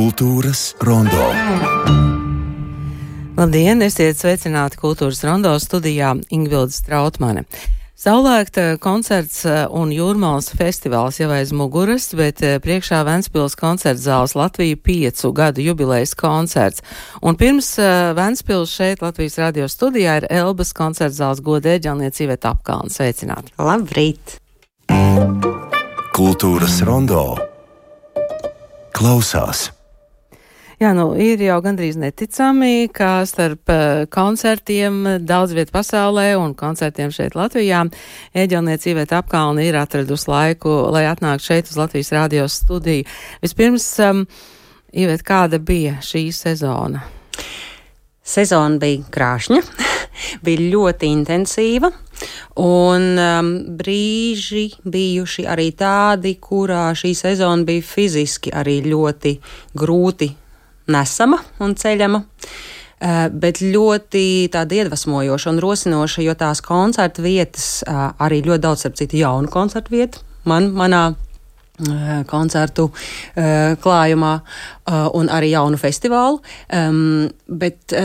Kultūras rondo. Labdien, esiet sveicināti Kultūras rondo studijā Ingvilde Strautmane. Saulēkta koncerts un Jūrmalas festivāls jau aiz muguras, bet priekšā Ventspils koncerta zāles Latvija 5 gadu jubilejas koncerts. Un pirms Ventspils šeit Latvijas radio studijā ir Elbas koncerta zāles godēģelniece Iveta Apkalne. Sveicināti! Labrīt! Kultūras rondo klausās. Jā, ir jau gandrīz neticami, ka starp koncertiem daudz vietu pasaulē un koncertiem šeit Latvijā ēģelniece Iveta Apkalne ir atradusi laiku, lai atnāktu šeit uz Latvijas radio studiju. Vispirms, Iveta, kāda bija šī sezona? Sezona bija krāšņa, bija ļoti intensīva, un brīži bijuši arī tādi, kurā šī sezona bija fiziski arī ļoti grūti nesama un ceļama, bet ļoti tāda iedvesmojoša un rosinoša, jo tās koncertu vietas arī ļoti daudz, starp citu, jaunu koncertu vietu manā koncertu klājumā un arī jaunu festivālu, bet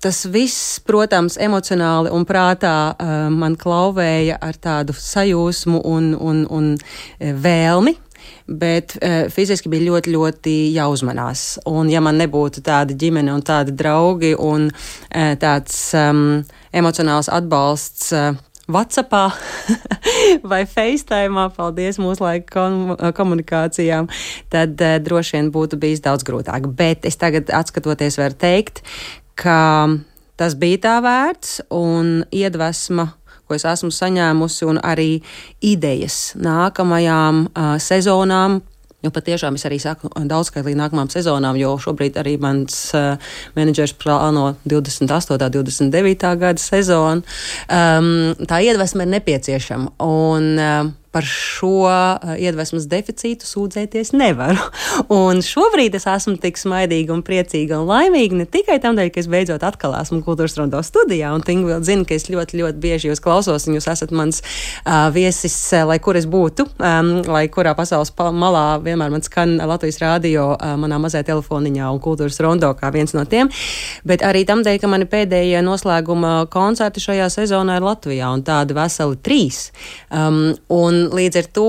tas viss, protams, emocionāli un prātā man klauvēja ar tādu sajūsmu un vēlmi. Bet fiziski bija ļoti, ļoti jāuzmanās. Un ja man nebūtu tāda ģimene un tādi draugi un tāds emocionāls atbalsts WhatsAppā vai FaceTime'ā, paldies mūsu laika komunikācijām, tad droši vien būtu bijis daudz grūtāk. Bet es tagad atskatoties varu teikt, ka tas bija tā vērts un iedvesma, ko es esmu saņēmusi, un arī idejas nākamajām sezonām. Jo patiešām es arī saku daudzskaitlīgi nākamām sezonām, jo šobrīd arī mans menedžers plāno 28. 29. gada sezonu. Tā iedvesma ir nepieciešama, un par šo iedvesmas deficītu sūdzēties nevaru. Un šobrīd es esmu tik smaidīga un priecīga un laimīga ne tikai tādēļ, ka es beidzot atkal esmu Kultūras rondo studijā, un Ingvilde zina, ka es ļoti, ļoti bieži jūs klausos, un jūs esat mans viesis, lai kur es būtu, lai kurā pasaules malā vienmēr man skan Latvijas radio manā mazajā telefoniņā un Kultūras rondo kā viens no tiem, bet arī tamdēļ, ka mani pēdējie noslēguma koncerti šajā sezonā ir Latvijā, un tādi veseli 3. Un līdz ar to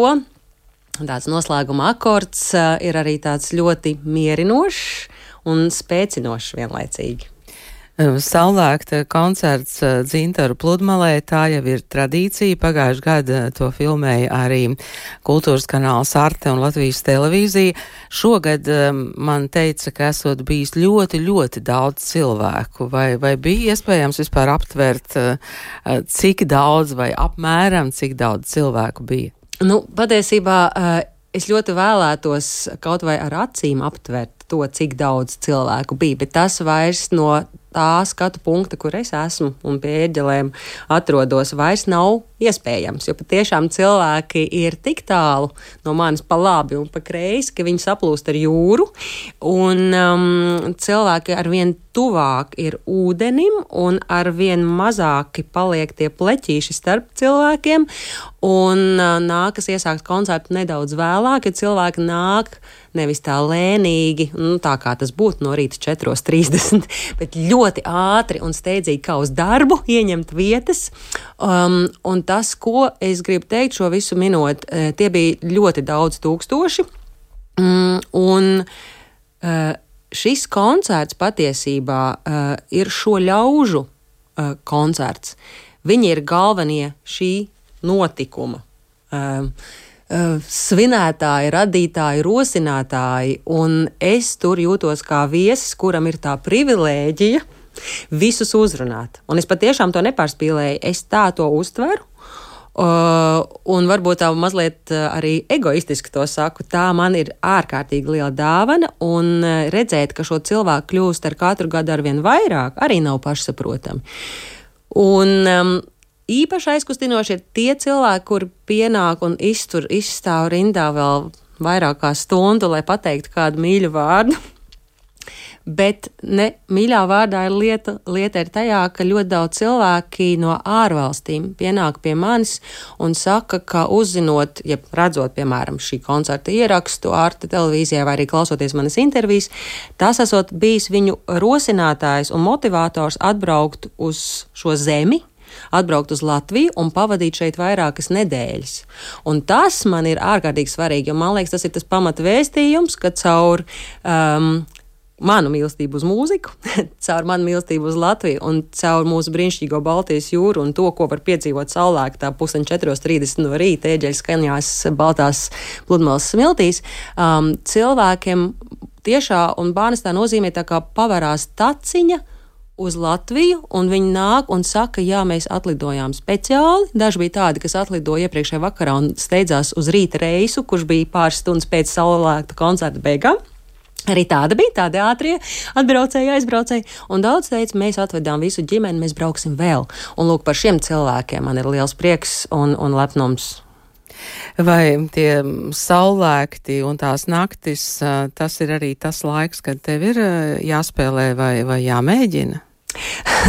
tāds noslēguma akords ir arī tāds ļoti mierinošs un spēcinošs vienlaicīgi. Saulēkta koncerts Dzintaru pludmalē, tā jau ir tradīcija. Pagājušajā gadā to filmēja arī Kultūras kanāls Arte un Latvijas televīzija. Šogad man teica, ka esot bijis ļoti, ļoti daudz cilvēku. Vai bija iespējams vispār aptvert, cik daudz vai apmēram cik daudz cilvēku bija? Patiesībā es ļoti vēlētos kaut vai ar acīm aptvert to, cik daudz cilvēku bija, bet tas vairs no tā skatu punkta, kur es esmu un pie ēģelēm atrodos, vairs nav iespējams, jo patiešām cilvēki ir tik tālu no manis pa labi un pa kreisi, ka viņi saplūst ar jūru, un cilvēki arvien tuvāk ir ūdenim un arvien mazāki paliek tie pleķīši starp cilvēkiem, un nākas iesākt koncertu nedaudz vēlāk, ja cilvēki nāk nevis tā lēnīgi, tā kā tas būtu no rīta 4:30, bet ļoti ātri un steidzīgi kā uz darbu ieņemt vietas, un tas, ko es gribu teikt šo visu minot, tie bija ļoti daudz tūkstoši, un šis koncerts patiesībā ir šo ļaužu koncerts. Viņi ir galvenie šī notikuma svinētāji, radītāji, rosinātāji, un es tur jūtos kā viesis, kuram ir tā privilēģija visus uzrunāt. Un es patiešām to nepārspīlēju, es tā to uztveru, un varbūt tā mazliet arī egoistiski to saku, tā man ir ārkārtīgi liela dāvana, un redzēt, ka šo cilvēku kļūst ar katru gadu arvien vairāk, arī nav pašsaprotami. Un īpaši aizkustinoši ir tie cilvēki, kuri pienāk un izstāv rindā vēl vairāk kā stundu, lai pateiktu kādu mīļu vārdu. Bet ne mīļā vārdā lieta ir tajā, ka ļoti daudz cilvēki no ārvalstīm pienāk pie manis un saka, ka uzzinot, ja redzot, piemēram, šī koncerta ierakstu Arte televīzijā vai arī klausoties manas intervijas, tas esot bijis viņu rosinātājs un motivators atbraukt uz šo zemi, atbraukt uz Latviju un pavadīt šeit vairākas nedēļas. Un tas man ir ārkārtīgi svarīgi, jo man liekas, tas ir tas pamata vēstījums, ka caur manu mīlestību uz mūziku, caur manu mīlestību uz Latviju un caur mūsu brīnišķīgo Baltijas jūru un to, ko var piedzīvot saulēktā 3:30 no rīta ēģeļu skaņās baltās pludmales smiltīs, cilvēkiem tiešā un bānestā nozīmē tā kā pavarās taciņa uz Latviju, un viņi nāk un saka, jā, mēs atlidojām speciāli. Daži bija tādi, kas atlidoja iepriekšējā vakarā un steidzās uz rīta reisu, kurš bija pāris stundas pēc saulēkta koncerta beigām. Arī tāda bija, tādi ātrie atbraucēji, aizbraucēji, un daudz teica, mēs atvedām visu ģimeni, mēs brauksim vēl. Un lūk, par šiem cilvēkiem man ir liels prieks un lepnums. Vai tie saulēkti un tās naktis, tas ir arī tas laiks, kad tev ir jāspēlē vai jāmēģina?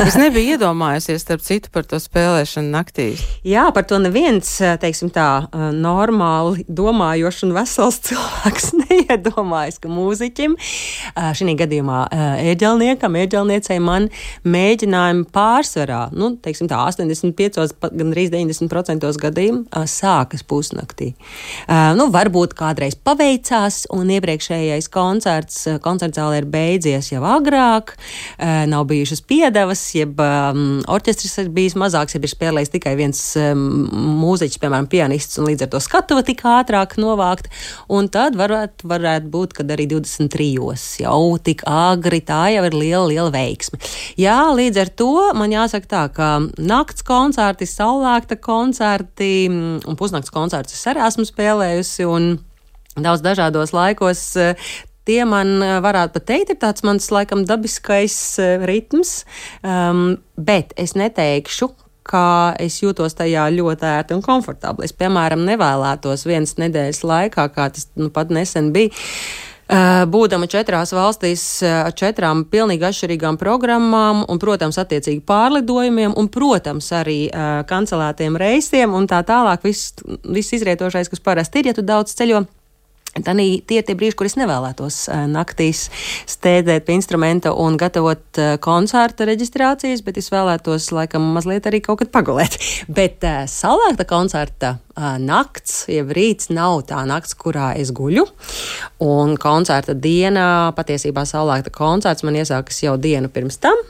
Es nebiju iedomājusies, starp citu, par to spēlēšanu naktīs. Jā, par to neviens, teiksim tā, normāli domājošs un vesels cilvēks neiedomājas, ka mūziķim, šī gadījumā ēģelniecei man mēģinājumi pārsvarā, teiksim tā, 85, gandrīz 90% gadījumu sākas pusnaktī. Varbūt kādreiz paveicās un iepriekšējais koncertzāle ir beidzies jau agrāk, nav bijušas piedevas, jeb orķestris ir bijis mazāks, jeb ir spēlējis tikai viens mūziķis, piemēram, pianists, un līdz ar to skatuva tik ātrāk novākt, un tad varētu būt, kad arī 23 jau tik agri, tā jau ir liela veiksme. Jā, līdz ar to man jāsaka tā, ka nakts koncerti, saulēkta koncerti un pusnakts koncertus es arī esmu spēlējusi, un daudz dažādos laikos. Tie man varētu pat teikt, ir tāds mans laikam dabiskais ritms, bet es neteikšu, ka es jūtos tajā ļoti ērti un komfortabli. Es, piemēram, nevēlētos vienas nedēļas laikā, kā tas pat nesen bija, būdama 4 valstīs ar 4 pilnīgi atšķirīgām programmām un, protams, attiecīgi pārlidojumiem un, protams, arī kancelētiem reisiem un tā tālāk viss izrietošais, kas parasti ir, ja tu daudz ceļo. Tie ir tie brīži, kur es nevēlētos naktīs stēdēt pie instrumenta un gatavot koncerta reģistrācijas, bet es vēlētos laikam mazliet arī kaut kad pagulēt. Bet saulēkta koncerta nakts, jeb rīts nav tā nakts, kurā es guļu. Un koncerta diena, patiesībā saulēkta koncerts man iesākas jau dienu pirms tam.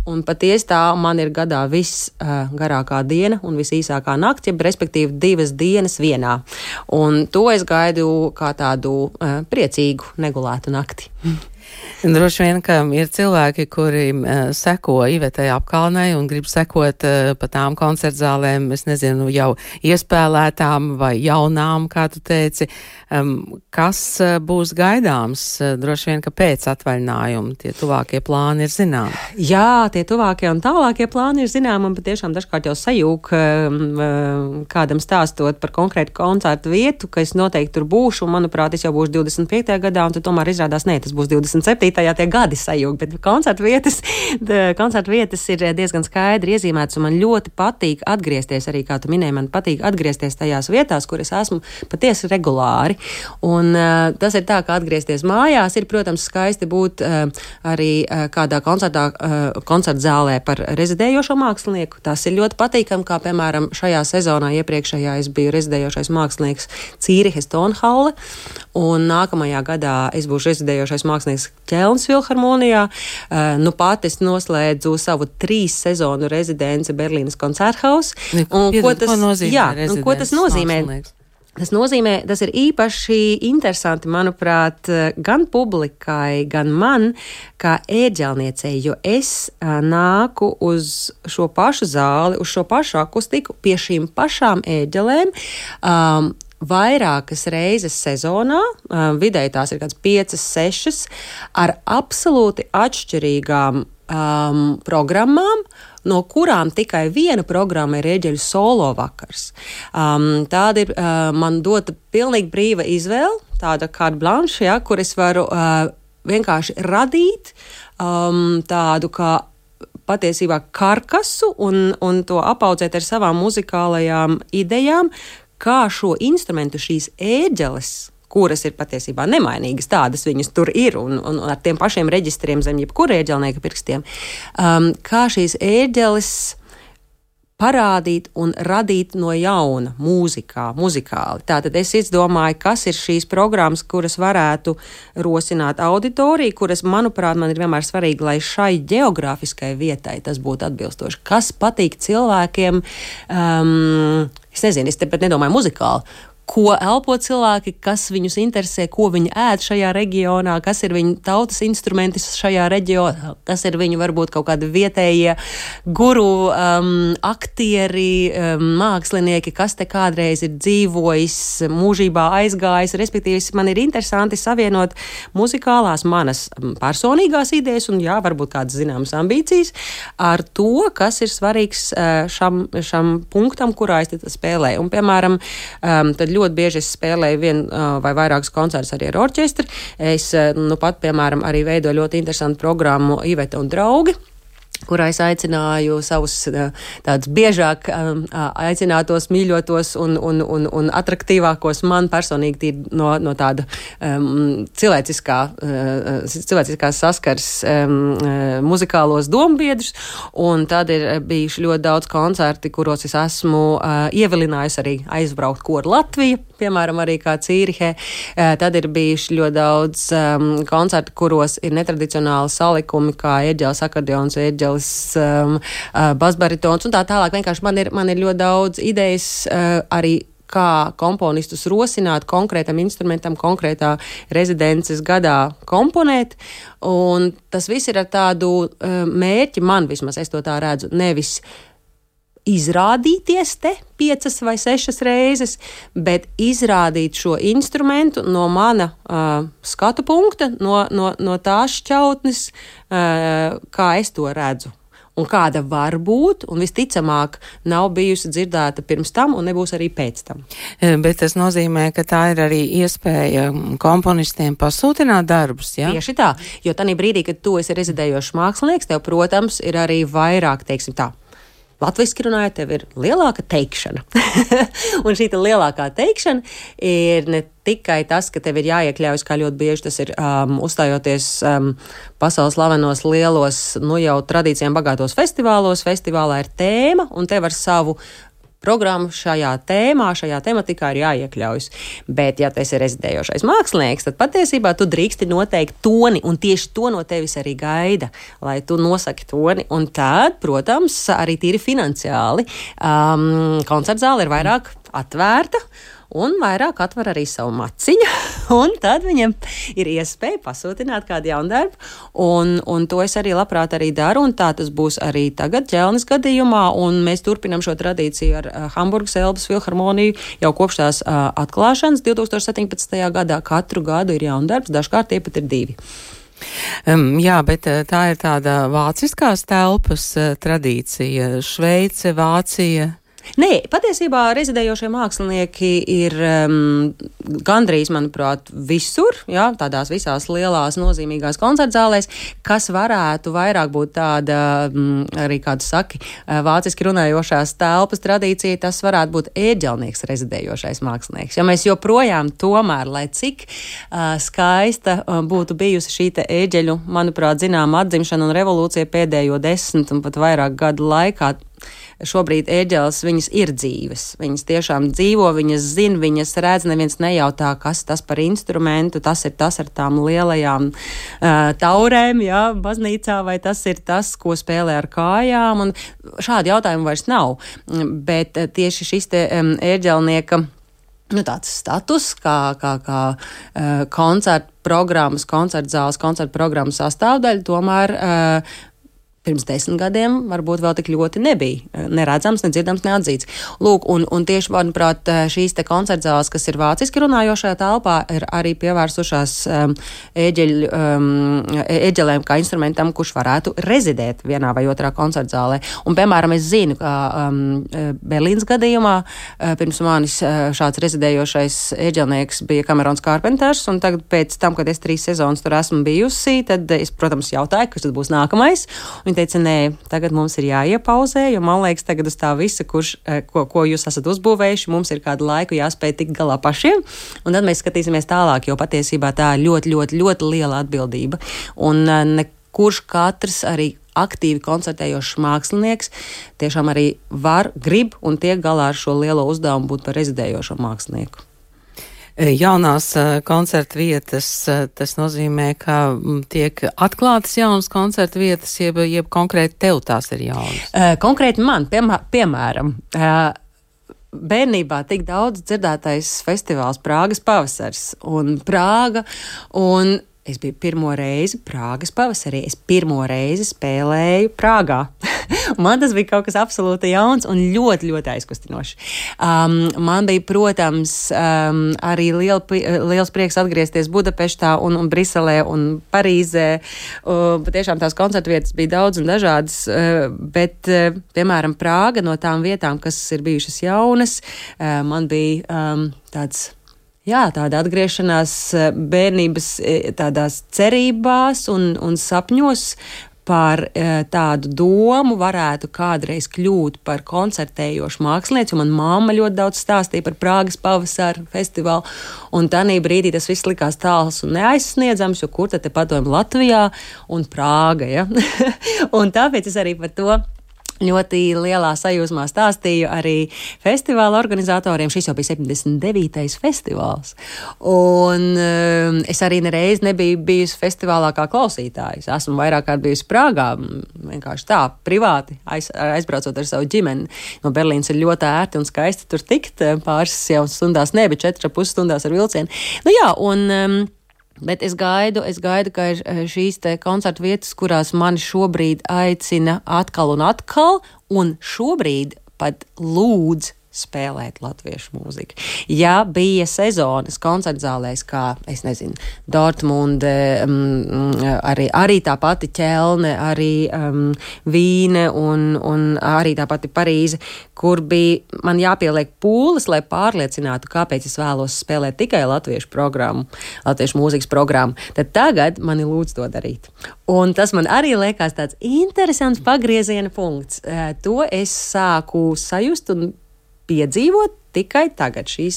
Un patiesi tā man ir gadā visgarākā diena un visīsākā nakts, jeb respektīvi 2 dienas vienā. Un to es gaidu kā tādu priecīgu, negulētu nakti. Droši vien, ka ir cilvēki, kuri seko Ivetei Apkalnei un grib sekot pa tām koncertzālēm, es nezinu, jau iespēlētām vai jaunām, kā tu teici. Kas būs gaidāms? Droši vien, ka pēc atvaļinājuma tie tuvākie plāni ir zināmi. Jā, tie tuvākie un tālākie plāni ir zināmi, un patiešām dažkārt jau sajūg kādam stāstot par konkrētu koncertu vietu, ka es noteikti tur būšu, un manuprāt, es jau būšu 25. gadā, un tad tomēr izrādās, tas būs 27. tie gadi sajūg, bet koncertu vietas ir diezgan skaidri iezīmētas, un man ļoti patīk atgriezties, arī kā tu minēji, man patīk atgriezties tajās vietās, kur es esmu patiesi regulāri. Un tas ir tā, ka atgriezties mājās ir, protams, skaisti būt arī kādā koncertzālē par rezidējošo mākslinieku. Tas ir ļoti patīkami, kā piemēram šajā sezonā iepriekšējā es biju rezidējošais mākslinieks Cīrihes Tonhalle, un nākamajā gadā es būšu rezidējošais mākslinieks Ķelnas filharmonijā. Pat es noslēdzu savu 3 sezonu rezidenci Berlīnes Koncerthaus. Ko tas nozīmē? Tas ir īpaši interesanti, manuprāt, gan publikai, gan man, kā ēģelniecei, jo es nāku uz šo pašu zāli, uz šo pašu akustiku, pie šīm pašām ēģelēm, vairākas reizes sezonā, vidēji tās ir kāds 5, 6, ar absolūti atšķirīgām programmām, no kurām tikai viena programma ir ēģeļu solo vakars. Tāda ir man dota pilnīgi brīva izvēle, tāda carte blanche, kur es varu vienkārši radīt tādu kā patiesībā karkasu un to apaudzēt ar savām muzikālajām idejām, kā šo instrumentu, šīs ēģeles, kuras ir patiesībā nemainīgas, tādas viņas tur ir un ar tiem pašiem reģistriem zem jebkura ēģelnieka pirkstiem, kā šīs ēģeles parādīt un radīt no jauna muzikāli. Tātad es izdomāju, kas ir šīs programmas, kuras varētu rosināt auditoriju, kuras, manuprāt, man ir vienmēr svarīgi, lai šai geogrāfiskai vietai tas būtu atbilstoši. Kas patīk cilvēkiem, es nezinu, es tepat nedomāju muzikāli, ko elpo cilvēki, kas viņus interesē, ko viņi ēd šajā reģionā, kas ir viņu tautas instrumenti šajā reģionā, kas ir viņu varbūt kaut kādi vietējie guru, aktieri, mākslinieki, kas te kādreiz ir dzīvojis, mūžībā aizgājis. Respektīvi, man ir interesanti savienot muzikālās manas personīgās idejas un, jā, varbūt kādas zināmas ambīcijas ar to, kas ir svarīgs šam punktam, kurā es spēlēju. Un, piemēram, tad ļoti bieži es spēlēju vienu vai vairākus koncertus arī ar orķestri. Es pat, piemēram, arī veidoju ļoti interesantu programmu Iveta un draugi, kurā es aicināju savus tādus biežāk aicinātos, mīļotos un atraktīvākos man personīgi no tāda cilvēciskās saskars muzikālos dombiedrus, un tad ir bijuši ļoti daudz koncerti, kuros es esmu ievilinājusi arī aizbraukt koru Latviju, piemēram, arī kā Cīrihē. Tad ir bijuši ļoti daudz koncertu, kuros ir netradicionāli salikumi, kā ēģeles, akordeons, ēģeles, basbaritons un tā tālāk. Vienkārši man ir ļoti daudz idejas arī kā komponistus rosināt konkrētam instrumentam, konkrētā rezidences gadā komponēt, un tas viss ir ar tādu mērķi, man vismaz es to tā redzu, nevis izrādīties te 5 vai 6 reizes, bet izrādīt šo instrumentu no mana skatu punkta, no tās šķautnes, kā es to redzu. Un kāda var būt, un visticamāk nav bijusi dzirdēta pirms tam, un nebūs arī pēc tam. Bet tas nozīmē, ka tā ir arī iespēja komponistiem pasūtināt darbus, jā? Tieši tā, jo tanī brīdī, kad tu esi rezidējošs mākslinieks, tev, protams, ir arī vairāk, teiksim tā, latviski runājot, tev ir lielāka teikšana. Un šī lielākā teikšana ir ne tikai tas, ka tev ir jāiekļaujas, kā ļoti bieži tas ir uzstājoties pasaules slavenos lielos, jau tradīcijām bagātos festivālos. Festivālā ir tēma, un tev ar savu programmu šajā tematikā ir jāiekļaujas. Bet, ja tu esi rezidējošais mākslinieks, tad patiesībā tu drīksti noteikt toni, un tieši to no tevis arī gaida, lai tu nosaki toni. Un tad, protams, arī tīri finansiāli koncertzāle ir vairāk atvērta, un vairāk atver arī savu maciņu, un tad viņam ir iespēja pasūtināt kādu jaunu darbu, un to es arī labprāt arī daru, un tā tas būs arī tagad Ķelnes gadījumā, un mēs turpinam šo tradīciju ar Hamburgas Elbas filharmoniju jau kopš tās atklāšanas 2017. gadā. Katru gadu ir jaunu darbs, dažkārt tie pat ir 2. Jā, bet tā ir tāda vāciskās telpas tradīcija, Šveice, Vācija. Nē, patiesībā rezidējošie mākslinieki ir gandrīz, manuprāt, visur, jā, tādās visās lielās nozīmīgās koncertzālēs, kas varētu vairāk būt tāda, arī kādu saki, vāciski runājošās telpas tradīcija, tas varētu būt ēģelnieks rezidējošais mākslinieks. Jo mēs joprojām tomēr, lai cik skaista būtu bijusi šī te ēģeļu, manuprāt, zināma atzimšana un revolūcija pēdējo 10 un pat vairāk gadu laikā, šobrīd ēģeles, viņas ir dzīves. Viņas tiešām dzīvo, viņas zina, viņas redz, neviens nejautā, kas tas par instrumentu, tas ir tas ar tām lielajām taurēm, jā, baznīcā, vai tas ir tas, ko spēlē ar kājām, un šādi jautājumi vairs nav. Bet tieši šis te ēģelnieka tāds status, kā koncertu programmas, koncertzāles, koncertu programmas sastāvdaļa, tomēr pirms 10 gadiem varbūt vēl tik ļoti nebija neredzams, nedzirdams, neatzīts. Lūk, un tieši, manuprāt, šīs te koncertzāles, kas ir vāciski runājošajā telpā, ir arī pievērsušās ēģelēm kā instrumentam, kurš varētu rezidēt vienā vai otrā koncertzālē. Un, piemēram, es zinu, ka Berlīnas gadījumā pirms manis šāds rezidējošais ēģelnieks bija Camerons Carpenters, un tagad pēc tam, kad es 3 sezonas tur esmu bijusi, tad es, protams, jautāju, kas tad būs nākamais. Viņa teica, nē, tagad mums ir jāiepauzē, jo man liekas, tagad uz tā visa, ko jūs esat uzbūvējuši, mums ir kādu laiku jāspēj tikt galā pašiem, un tad mēs skatīsimies tālāk, jo patiesībā tā ir ļoti, ļoti, ļoti liela atbildība. Un kurš katrs arī aktīvi koncertējošs mākslinieks tiešām arī grib un tiek galā ar šo lielo uzdevumu būt par rezidējošo mākslinieku. Jaunās koncerta vietas, tas nozīmē, ka tiek atklātas jaunas koncerta vietas, jeb konkrēti tev tās ir jaunas? Konkrēti man, piemēram, bērnībā tik daudz dzirdētais festivāls Prāgas pavasars un Prāga, un es biju pirmo reizi Prāgas pavasarī. Es pirmo reizi spēlēju Prāgā. Man tas bija kaut kas absolūti jauns un ļoti, ļoti aizkustinošs. Man bija, protams, arī liels prieks atgriezties Budapeštā un Briselē un Parīzē. Patiešām tās koncertu vietas bija daudz un dažādas, bet, piemēram, Prāga no tām vietām, kas ir bijušas jaunas, man bija tāds... Jā, tāda atgriešanās bērnības tādās cerībās un sapņos par tādu domu varētu kādreiz kļūt par koncertējošu mākslinieci, un man mamma ļoti daudz stāstīja par Prāgas pavasara festivālu, un tanī brīdī tas viss likās tāls un neaizsniedzams, jo kur tad te padomju Latvijā un Prāga, ja? Un tāpēc es arī par to ļoti lielā sajūsmā stāstīju arī festivāla organizatoriem. Šis jau bija 79. festivāls. Un es arī nereiz nebiju bijusi festivālā kā klausītājs. Esmu vairāk kārt bijusi Prāgā, vienkārši tā, privāti, aizbraucot ar savu ģimeni. No Berlīnas ir ļoti ērti un skaisti tur tikt, pāris jau stundās, ne, bet 4,5 stundās ar vilcienu. Nu jā, bet es gaidu, ka ir šīs te koncertu vietas, kurās mani šobrīd aicina atkal un atkal, un šobrīd pat lūdz spēlēt latviešu mūziku. Ja bija sezonas koncertzālēs, kā, es nezinu, Dortmunde, arī tā pati Ķelne, arī Vīne un arī tā pati Parīze, kur bija man jāpieliek pūles, lai pārliecinātu, kāpēc es vēlos spēlēt tikai latviešu programmu, latviešu mūzikas programmu, tad tagad mani lūdz to darīt. Un tas man arī liekas tāds interesants pagrieziena punkts. To es sāku sajust un piedzīvot tikai tagad, šīs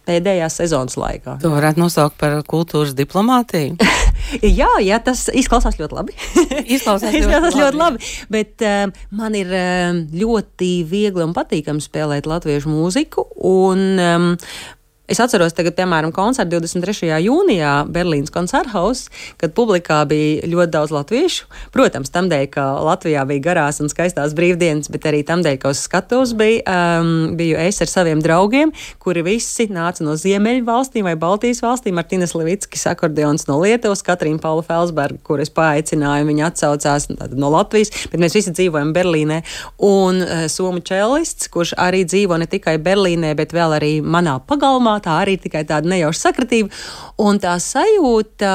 pēdējās sezonas laikā. To varētu nosaukt par kultūras diplomātiju? Jā, tas izklausās ļoti labi. Izklausās ļoti labi. Bet man ir ļoti viegli un patīkami spēlēt latviešu mūziku, un es atceros tagad, piemēram, koncertu 23. jūnijā Berlīnas koncerthaus, kad publikā bija ļoti daudz latviešu. Protams, tamdēļ, ka Latvijā bija garās un skaistās brīvdienas, bet arī tamdēļ, ka uz skatuves biju es ar saviem draugiem, kuri visi nāca no Ziemeļu valstīm vai Baltijas valstīm. Martinas Levickis, akordeons no Lietuvas, Katrīna Paula Felsberga, kur es paaicināju, viņa atsaucās no Latvijas, bet mēs visi dzīvojam Berlīnē. Un somu čelists, kurš arī dzīvo ne tikai Berlīnē, bet vēl arī manā pagalmā, tā arī tikai tāda nejauša sakratība. Un tā sajūta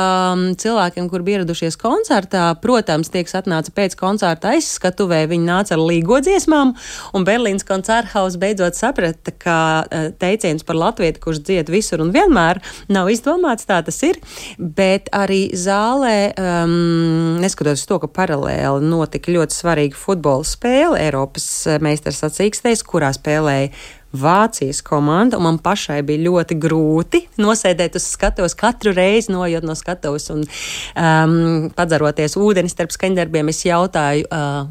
cilvēkiem, kur bija ieradušies koncertā, protams, tiek atnāca pēc koncerta aizskatuvē, viņi nāca ar līgodziesmām, un Berlīnas koncerthaus beidzot saprata, ka teiciens par latvieti, kurš dzied visur un vienmēr, nav izdomāts, tā tas ir, bet arī zālē, neskatoties to, ka paralēli notika ļoti svarīga futbola spēle Eiropas meistars sacīkstēs, kurā spēlēja Vācijas komanda, un man pašai bija ļoti grūti nosēdēt uz skatuves, katru reizi nojot no skatuves un padzaroties ūdeni starp skaņdarbiem. Es jautāju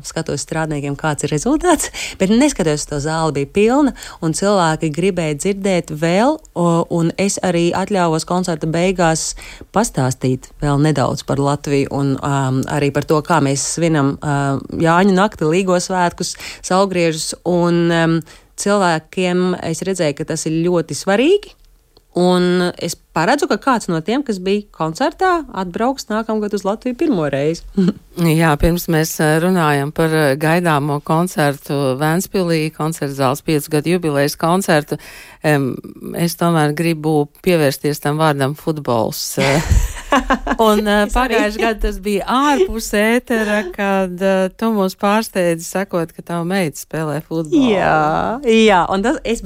skatuves strādniekiem, kāds ir rezultāts, bet neskatoties to zāli bija pilna, un cilvēki gribēja dzirdēt vēl, un es arī atļāvos koncerta beigās pastāstīt vēl nedaudz par Latviju un arī par to, kā mēs svinam Jāņu nakti, Līgo svētkus, Saulgriežus, un cilvēkiem es redzēju, ka tas ir ļoti svarīgi, Un es paredzu, ka kāds no tiem, kas bija koncertā, atbrauks nākamgad uz Latviju pirmo reizi. Jā, pirms mēs runājam par gaidāmo koncertu Ventspilī, koncerta zāles 5 gadu jubilejas koncertu, es tomēr gribu pievērsties tam vārdam futbols. Un pagājuši gadu tas bija ārpus ētera, kad tu mūs pārsteidzi sakot, ka tava meita spēlē futbolu. Jā, un es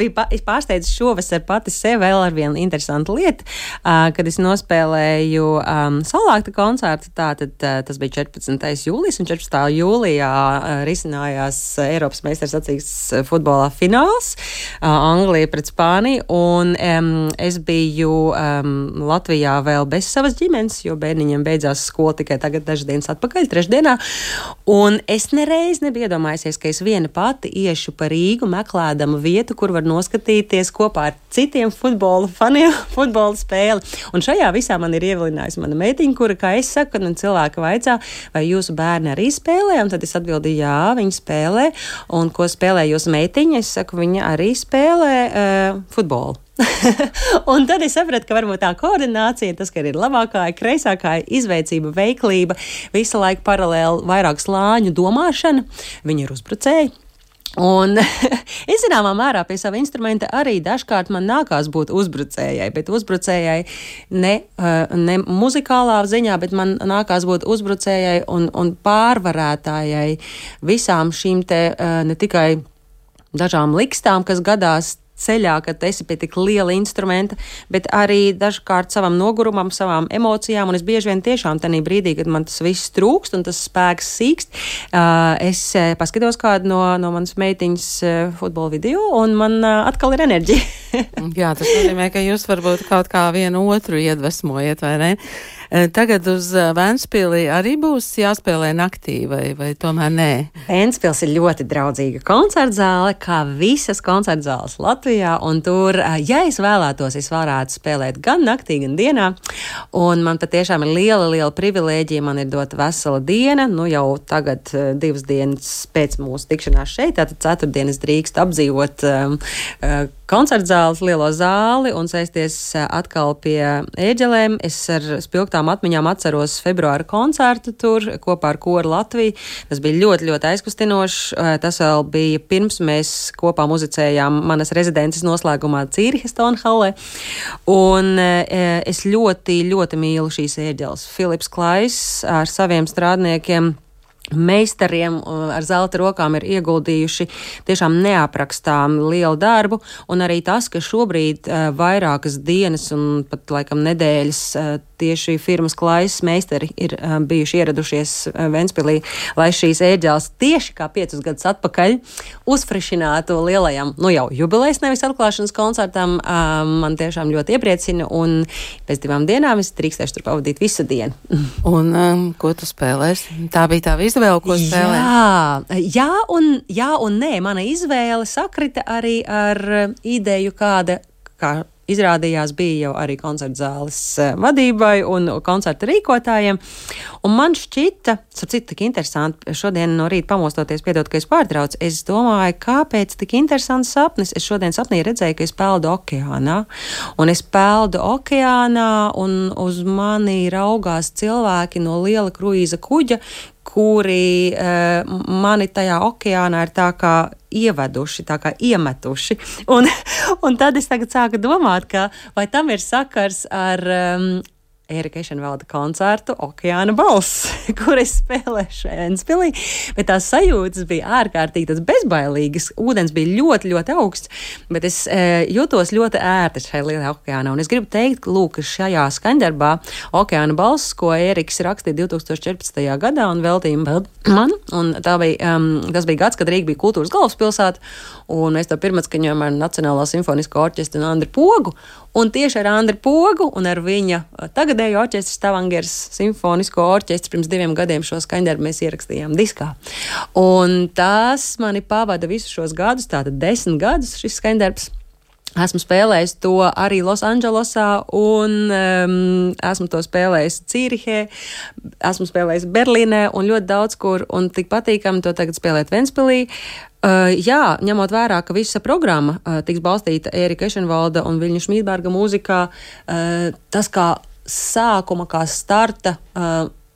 pārsteidzu šovasar pati sev vēl ar vienu interesantu lietu, kad es nospēlēju Saulākta koncertu, tātad tas bija 14. jūlijas, un 14. jūlijā risinājās Eiropas meistarsacīkstes futbolā fināls, Anglija pret Spāniju, un es biju Latvijā vēl bez savas ģimenes, jo bērniņiem beidzās skola tikai tagad dažas dienas atpakaļ, trešdienā, un es nereiz nebiju iedomājusies, ka es viena pati iešu pa Rīgu meklēdama vietu, kur var noskatīties kopā ar citiem futbola faniem futbola spēli. Un šajā visā man ir ievilinājusi mana meitiņa, kura, kā es saku, kad man cilvēki vaicā, vai jūsu bērni arī spēlē, un tad es atbildīju, jā, viņi spēlē, un ko spēlē jūsu meitiņa, es saku, viņa arī spēlē futbolu. Un tad es sapratu, ka varbūt tā koordinācija, tas, ka ir labākā, kreisākā izveicība, veiklība, visu laiku paralēli vairāk slāņu domāšana, viņi ir uzbrucēji. Un es zināmā mērā pie sava instrumenta arī dažkārt man nākās būt uzbrucējai, bet uzbrucējai ne muzikālā ziņā, bet man nākās būt uzbrucējai un pārvarētājai visām šīm te ne tikai dažām likstām, kas gadās ceļā, kad esi pie tik liela instrumenta, bet arī dažkārt savam nogurumam, savām emocijām, un es bieži vien tiešām tenī brīdī, kad man tas viss trūkst un tas spēks sīkst, es paskatos kādu no manas meitiņas futbola video, un man atkal ir enerģija. Jā, tas nozīmē, ka jūs varbūt kaut kā vienu otru iedvesmojat, vai ne? Tagad uz Ventspili arī būs jāspēlē naktī, vai tomēr nē? Ventspils ir ļoti draudzīga koncertzāle, kā visas koncertzāles Latvijā, un tur, ja es vēlētos, es varētu spēlēt gan naktī, gan dienā, un man patiešām ir liela privilēģija, man ir dota vesela diena, nu jau tagad 2 dienas pēc mūsu tikšanās šeit, tātad 4 dienas drīkst apdzīvot koncertzāles lielo zāli un sēsties atkal pie ēģelēm. Es ar spilgtām atmiņām atceros februāra koncertu tur kopā ar Koru Latviju. Tas bija ļoti aizkustinošs. Tas vēl bija pirms mēs kopā muzicējām manas rezidences noslēgumā Cīrihes Tonhallē. Un es ļoti mīlu šīs ēģeles. Filips Klais ar saviem strādniekiem, meistariem ar zelta rokām ir ieguldījuši tiešām neaprakstām lielu darbu, un arī tas, ka šobrīd vairākas dienas un pat laikam nedēļas tieši firmas Klais meistari ir bijuši ieradušies Ventspilī, lai šīs ēģeles tieši kā 5 gadus atpakaļ uzfrišinātu lielajam, nu jau jubilejas nevis atklāšanas koncertam, man tiešām ļoti iepriecina, un pēc 2 dienām es drīkstēšu tur pavadīt visu dienu. Un ko tu spēlēsi? Tā bija tā izvēle, ko spēlēt? Jā un nē. Mana izvēle sakrita arī ar ideju, kā izrādījās bija jau arī koncertzāles vadībai un koncerta rīkotājiem. Un man šķita, tik interesanti, šodien no rīta pamostoties, piedod, ka es pārtraucu, es domāju, kāpēc tik interesants sapnis. Es šodien sapnī redzēju, ka es peldu okeānā. Un es peldu okeānā, un uz mani raugās cilvēki no liela kruīza kuģa, kuri mani tajā okeānā ir tā kā ieveduši, tā kā iemetuši. Un tad es tagad sāku domāt, ka vai tam ir sakars ar Ērika Ešenvalda koncertu Okeāna balss, kur es spēlēšu Ventspilī, bet tās sajūtas bija ārkārtīgi tas bezbailīgas, ūdens bija ļoti augsts, bet es jūtos ļoti ērti šajā lielajā okeānā, un es gribu teikt, lūk, šajā skaņdarbā Okeāna balss, ko Ēriks rakstīja 2014. gadā un veltīja man, un tas bija gads, kad Rīga bija kultūras galvaspilsēta, un mēs to pirmatskaņojām ar Nacionālo simfonisko orķestru un Andri Pogu, un tieši ar Andri Pogu un ar viņa tagadējo orķestru Stavangers simfonisko orķestru pirms 2 gadiem šo skaņdarbu mēs ierakstījām diskā. Un tas mani pavada visus šos gadus, tātad 10 gadus šis skaņdarbs. Esmu spēlējis to arī Losandželosā un esmu to spēlējis Cīrihē, esmu spēlējis Berlīnē un ļoti daudz kur, un tik patīkami to tagad spēlēt Ventspilī. Jā, ņemot vērā, ka visa programma tiks balstīta Ērika Ešenvalda un Viļņa Šmīdberga mūzikā, tas kā sākuma, kā starta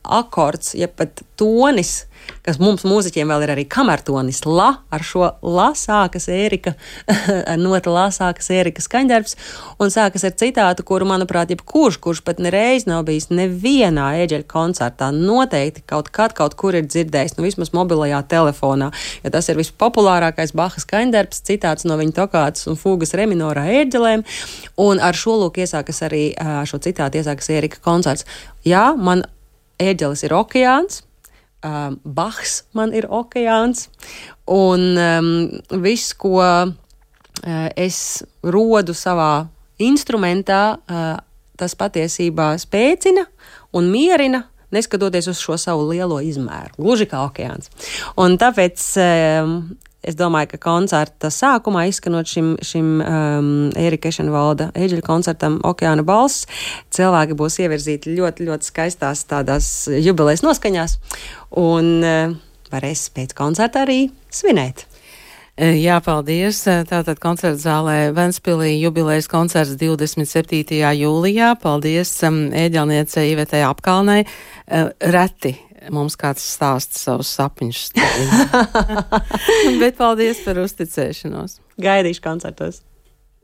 akords, ja pat tonis, kas mums mūziķiem vēl ir arī kamertonis, la, ar šo la sākas Ērika, ar nota la sākas Ērika skaņdarbs, un sākas ar citātu, kuru, manuprāt, kurš pat nereiz nav bijis nevienā Ēģeļa koncertā, noteikti kaut kur ir dzirdējis, vismaz mobilajā telefonā, jo tas ir vispopulārākais Baha skaņdarbs, citāts no viņa tokātas un fūgas reminorā Ēģelēm, un ar šo lūk iesākas arī, šo citātu iesākas Ērika koncerts. Jā, man Ēģelis ir okeāns, Bahs man ir okeāns, un viss, ko es rodu savā instrumentā, tas patiesībā spēcina un mierina, neskatoties uz šo savu lielo izmēru, gluži kā okeāns. Un tāpēc es domāju, ka koncerta sākumā izskanot šim Ērika Ešenvalda Ēģeļa koncertam Okeāna balss, cilvēki būs ievirzīti ļoti, ļoti skaistās tādās jubilejas noskaņās un varēs pēc koncerta arī svinēt. Jā, paldies. Tātad koncerta zālē Ventspilī jubilejas koncerts 27. jūlijā. Paldies ēģelniecei Ivetei Apkalnei. Reti mums kāds stāsta savus sapņus. Bet paldies par uzticēšanos. Gaidīšu koncertos.